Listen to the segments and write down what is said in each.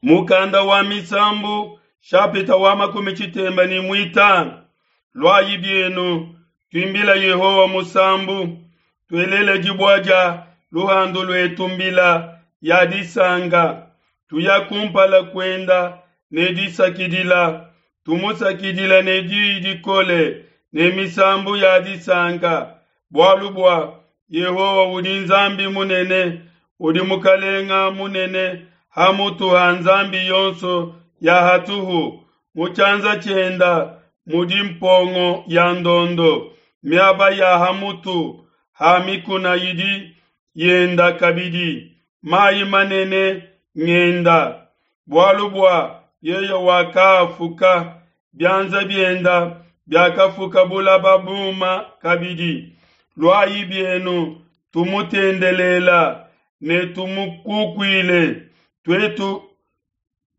Mukanda wa Misambu shapita wa 35. Luayi bienu, tuimbila Yehowa musambu, tuelele dibua dia luhandu luetu mbila ya disanka, tuya kumpala kuenda ne disakidila, tumusakidila ne diyi dikole ne misambu ya disanka, bualu bua Yehowa udi Nzambi munene, udi Mukalenga munene ha mutu ha nzambi yonso ya hatuhu. Mu tshianza tshienda mudi mpongo ya ndondo, miaba ya ha mutu ha mikuna idi yenda kabidi, mayi manene ngenda. Bualu bua yeye wakaafuka, bianza bienda biakafuka bulaba buma kabidi. Luayi bienu tumutendelela ne tumukukuile, tuetu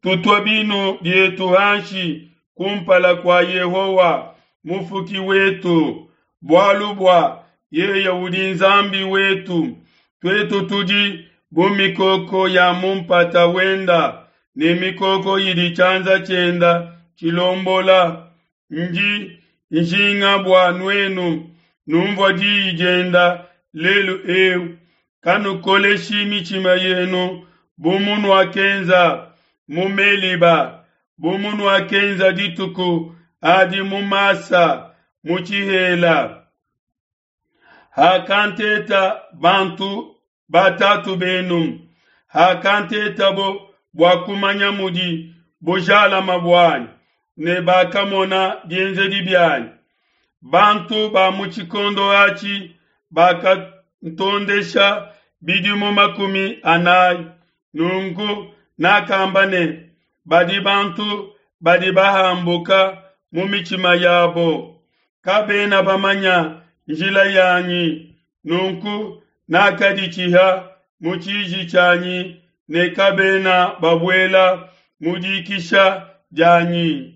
tutua binu bietu hanshi kumpala kua Yehowa mufuki wetu, bualu bua yeye udi Nzambi wetu, tuetu tudi bu mikoko ya mu mpata wenda ne mikoko idi tshianza tshienda tshilombola. Ndi njinga bua nuenu numvua diyi dienda lelu eu, kanukoleshi mitshima yenu bu munuakenza mu Meliba, bu munuakenza dituku adi mu Masa mu tshihela. Hakanteta bantu batatu benu, hakantetabo bua kumanya mudi bujalama buanyi, ne bakamona bienzedi bianyi. Bantu ba mu tshikondo atshi bakantondesha bidimu 40. Nunku nakamba ne, badi bantu badi bahambuka mu mitshima yabo, kabena bamanya njila yanyi. Nunku nakaditshiha mu tshiji tshianyi ne kabena babuela mu dikisha dianyi.